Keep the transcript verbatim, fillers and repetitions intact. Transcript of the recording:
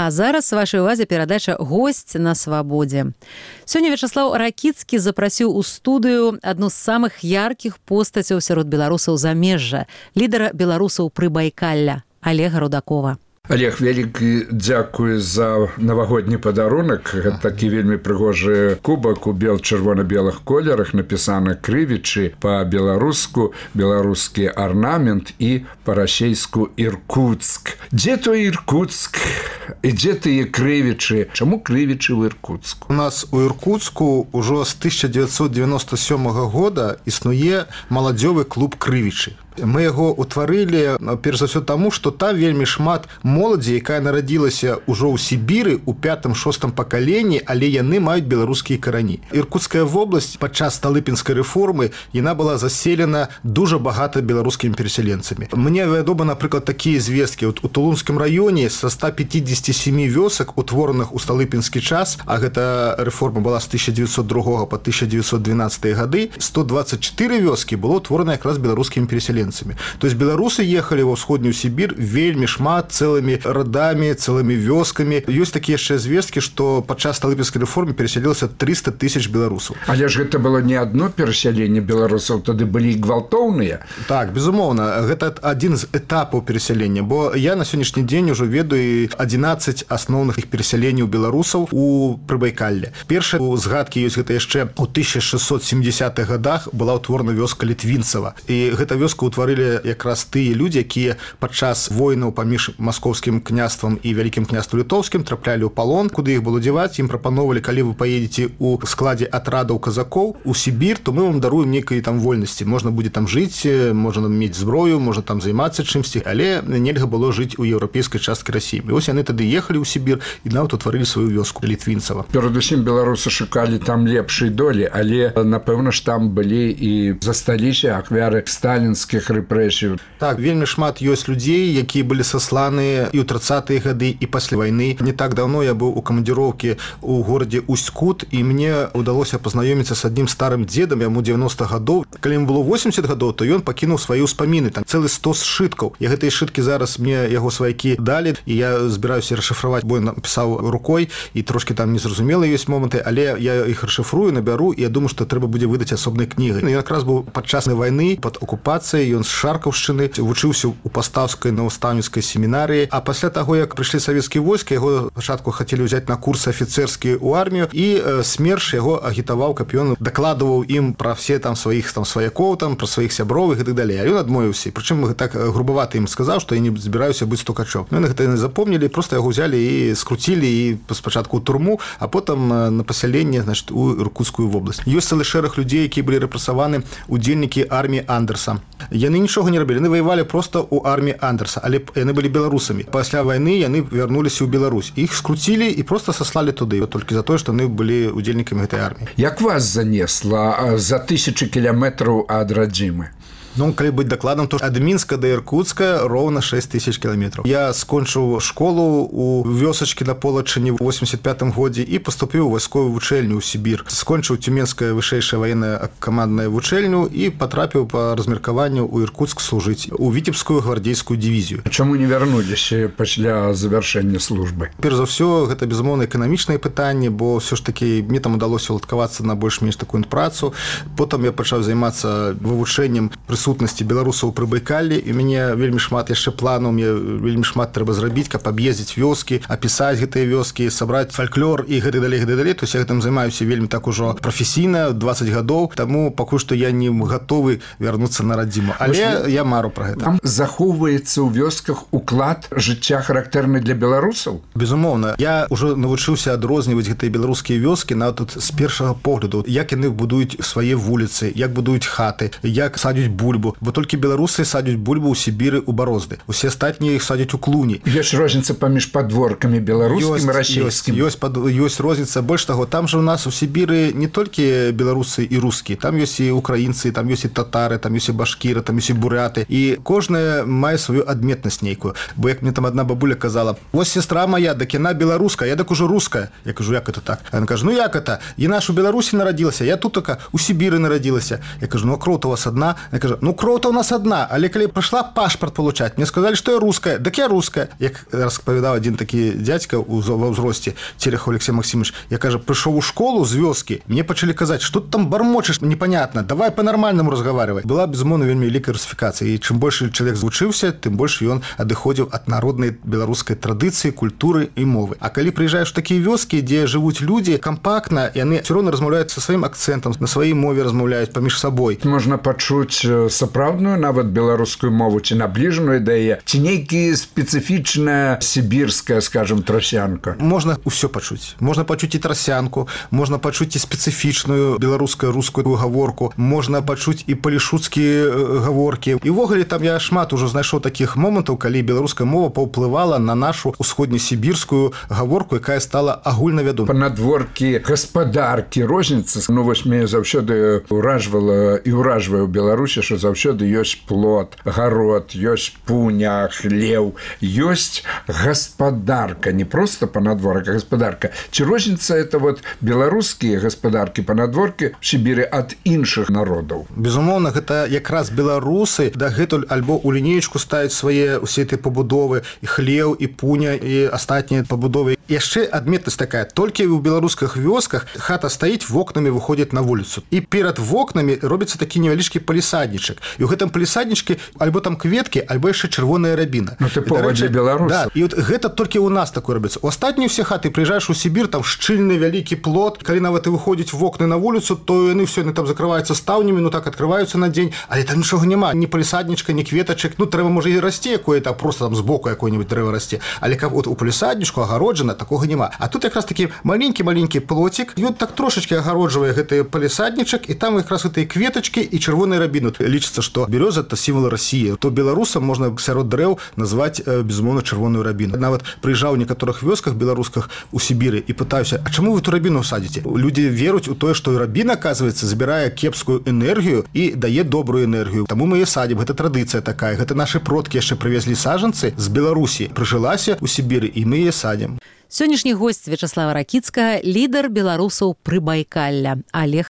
А зараз вашай увазе перадача «Госць на свабодзе». Сёння Вячаслаў Ракіцкі запрасіў у студыю адну з самых яркіх постацяў сярод беларусаў замежжа, лідара беларусаў Прыбайкалля Олега Рудакова. Олег, вялікі дзякуй за навагодні падарунак. Гэта такі вельмі прыгожы кубак у бел-чырвона-белых колерах, напісана крывічы па-беларуску, беларускі арнамент і па-расейску Іркуцк. Дзе той Іркуцк? І дзе тыя крывічы? Чаму крывічы ў Іркуцку? У нас у Іркуцку ўжо з тысяча дзевяцьсот девяносто сёмага года існуе маладзёвы клуб крывічы. Мы яго ўтварылі, перш за ўсё таму, што там вельмі шмат моладзі, якая нарадзілася ўжо ў Сібіры ў пятым-шостым пакаленні, але яны маюць беларускія карані. Іркуцкая вобласць падчас сталыпінскай рэформы яна была заселена дужа багата беларускімі перасяленцамі. Мне вядома, напрыклад, такія звесткі. У Тулунскім раёне са ста пятидесяти семи вёсак, утвораных у сталыпінскі час, а гэта рэформа была з тысяча дзевяцьсот другога па тысяча дзевяцьсот двенадцатыя гады, сто двадцать четыре вёскі было ўтворана якраз беларускімі перасяленцамі. То есть беларусы ехали ва ўсходнюю Сібір вельмі шмат, цэлымі радамі, цэлымі вёскамі. Ёсць такія яшчэ звесткі, што падчас сталыпінскай рэформы перасялілася триста тысяч беларусаў. Але ж гэта было не адно перасяленне беларусаў, тады былі гвалтоўныя. Так, безумоўна, гэта адзін з этапаў перасялення, бо я на сённяшні дзень ужо ведаю адзінаццаць асноўных іх перасяленняў беларусаў у Прыбайкалле. Першыя згадкі ёсць гэта яшчэ ў тысяча шэсцьсот семидесятых гадах была ўтворана вёска Літвінцава. І гэта вёска ўтварылі якраз тыя людзі, якія падчас войнаў паміж маскоўскім княствам і вялікім княствам літоўскім траплялі ў палон, куды іх было дзяваць. Ім прапановалі, калі вы паедзеце ў складзе атрадаў казакоў у Сібір, то мы вам даруем нейкай там вольнасці. Можна будзе там жыць, можна мець зброю, можна там займацца чымсьці, але нельга было жыць у еўрапейскай часткі Расіі. І вось яны тады ехалі ў Сібір і нават утварылі сваю вёску Літвінцава. Перадусім беларусы шукалі там лепшай долі, але напэўна ж там былі і засталіся ахвяры сталінскіх рэпрэсій. Так, вельмі шмат ёсць людзей, якія былі сасланы і ў трыццатыя гады, і пасля вайны. Не так даўно я быў у камандзіроўкі ў горадзе Усть-Кут, і мне ўдалося пазнаёміцца з адным старым дзедам, яму девяносто гадоў. Калі ему было восемьдесят гадоў, то ён пакінуў свае ўспаміны, там цэлы сто сшыткаў. Я гэтыя сшыткі зараз мне яго сваякі далі, і я збіраюся расшыфраваць, бо я напісаў рукой, і трошкі там незразумелыя ёсць моманты, але я іх расшыфрую, набяру, і я думаю, што трэба будзе выдаць асобнай кнігай. Ён якраз быў падчас вайны, пад акупацыяй, ён з Шаркаўшчыны, вучыўся ў пастаўскай настаўніцкай семінарыі, а пасля таго, як прыйшлі савецкія войскі, яго спачатку хацелі ўзяць на курсы афіцэрскія ў армію, і СМЕРШ яго агітаваў, каб ён дакладваў ім пра все там сваіх там сваякоў, там пра сваіх сяброў і так далей. А ён адмовіўся. Прычым так грубавата ім сказаў, што я не збіраюся быць стукачом. Ну, гэта яны запомнілі, проста яго ўзялі і скруцілі і спачатку ў турму, а потым на пасяленне, значит, у Іркуцкую вобласць. Ёсць цэлы шэраг людзей, якія былі рэпрэсаваны, удзельнікі арміі Андерса. Яны нічога не рабілі, яны ваявалі проста ў арміі Андерса, але яны былі беларусамі. Пасля вайны яны вярнуліся ў Беларусь. Іх скруцілі і проста саслалі туды, толькі за тое, што яны былі удзельнікамі гэтай арміі. Як вас занесла за тысячы кіламетраў ад радзімы? Ну, калі быць дакладным, то ад Мінска да Іркуцка роўна шэсць тысяч кіламетраў. Я скончыў школу ў вёсачкі на Полачыне ў восемьдесят пятым годзе і паступіў у вайсковую вучэльню ў Сібір. Скончыў Цюменская вышэйшая ваенная камандная вучэльню і патрапіў па размеркаванню ў Іркуцк служыць у Віцебскую гвардзейскую дывізію. Чаму не вярнуліся пасля завяршэння службы? Перш за ўсё, гэта безумоўна эканамічнае пытанне, бо ўсё ж такі мне там удалося уладкавацца на больш-менш такую працу. Потым я пачаў займацца вывучэннем прысутнасці беларусаў у Прыбайкаллі, і мяне вельмі шмат яшчэ планаў, мне вельмі шмат трэба зрабіць, каб аб'ездзіць вёскі, апісаць гэтыя вёскі, сабраць фальклор і гэтак далей, гэтак далей. То есть я гэтым займаюся вельмі так ужо прафесійна, двадцать гадоў, таму пакуль што я не гатовы вярнуцца на радзіму. Але я мару пра гэта. Там захоўваецца ў вёсках уклад жыцця характэрны для беларусаў? Безумоўна. Я ўжо навучыўся адрозніваць гэтыя беларускія вёскі нават тут з першага погляду, як яны будуюць свае вуліцы, як будуюць хаты, як садзяць бульбу, бо толькі беларусы садзяць бульбу ў Сібіры, у Барозды. Усе астатнія іх садзяць у Клуні. Ёсць розніца паміж падворкамі беларускім і расійскім. Ёсць, ёсць, ёсць розніца. Больш таго, там жа у нас у Сібіры не толькі беларусы і рускія, там ёсць і украінцы, там ёсць і татары, там ёсць і башкіры, там ёсць і буряты. І кожная мае сваю адметнасць нейкую. Бо як мне там адна бабуля казала: "Вось сестра моя, дак яна беларуска, я дак ужо руская". Я кажу: "Як это так?" Яна кажа: "Ну як это? Яна ж у Беларусі нарадзілася, я тут така у Сібіры нарадзілася". Я кажу: "Ну а кроў у вас адна". Я кажу: ну кроў-то у нас одна, але калі прыйшла пашпарт получаць, мне сказали, что я русская, дык я русская. Як распавядаў один такі дядька ва ўзросце, Терехов Алексей Максимович, я кажа, прыйшоў у школу з вёскі, мне пачалі казаць, что ты там бормочешь, непонятно, давай по-нормальному разговаривать. Была безумоўна вельмі вялікая русификация, і чым больше чалавек звучыўся, тым больше ён адыходзіў ад народнай беларускай традыцыі, культуры і мовы. А калі прыязджаеш у такія вёскі, дзе жывуць людзі кампактна, яны все роўна размаўляюць са сваім акцэнтам, на сваёй мове размаўляюць паміж сабой. Можна пачуць сапраўдную нават беларускую мову ці набліжаную да яе, ці нейкі спецыфічная сібірская, скажем, трасянка. Можна ўсё пачуць. Можна пачуць і трасянку, можна пачуць і спецыфічную беларускую рускую гаворку, можна пачуць і палішуцкія гаворкі. І ўвогуле там я шмат ужо знайшоў такіх момантаў, калі беларуская мова паўплывала на нашу усходнесібірскую гаворку, якая стала агульнавядомай. Панадворкі гаспадаркі, розніца. Ну вось мяне заўсёды ўражвала і ўражвае ў Беларусі, што заўсёды ёсць плот, гарод, ёсць пуня, хлеў, ёсць гаспадарка, не просто панадворак, а гаспадарка. Ці розніца это вот беларускія гаспадаркі, панадворкі в Сібіры ад іншых народаў? Безумоўна, гэта якраз беларусы дагэтуль альбо у лінеечку ставяць свае усе этой пабудовы, і хлеў, і пуня, і астатнія пабудовы. Яшчэ адметнасць такая, толькі ў беларускіх вёсках хата стаіць, вокнамі выходзіць на вуліцу. І перад вокнамі робіцца такі невялічкі палісаднічак. І ў гэтым палісаднічкі альбо там кветкі, альбо яшчэ чырвоная рабіна. Ну тыпова для беларусаў. Да, і от гэта толькі ў нас такое робіцца. У астатнія ўсе хаты прыязджаеш у Сібір, там шчыльны вялікі плот, калі нават і выходзіць вокны на вуліцу, то яны ўсё яны там закрываюцца стаўнямі, ну так адкрываюцца на дзень, але там нічога няма, ні палісаднічка, ні кветачак. Ну трэба можа і расце якое-то, просто там збоку якое-нибудь дрэва расце. Але каб от у палісаднічку агароджана, такога няма. А тут якраз такі маленькі-маленькі плотик, ён так трошечки агароджвае гэты палісаднічак, і там якраз гэтыя кветачкі і чырвоная рабіна. Лічыцца, што бяроза это сімвол России. То беларусам можна сярод дрэў назваць безумоўна чырвоную рабіну. Нават прыязджаў у некаторых вёсках беларусках у Сібіры і пытаюся, а чаму вы ту рабіну садзіце? Людзі веруць у тое, што рабіна, аказваецца, забірае кепскую энергію і дае добрую энергію. Таму мы і садзім, гэта традыцыя такая. Гэта нашы продкі яшчэ прывезлі сажанцы з Беларусі, прыжылася ў Сібіры, і мы яе садзім. Сённяшні госць Вячаслава Ракіцкага, лідар беларусаў Прыбайкалля, Олег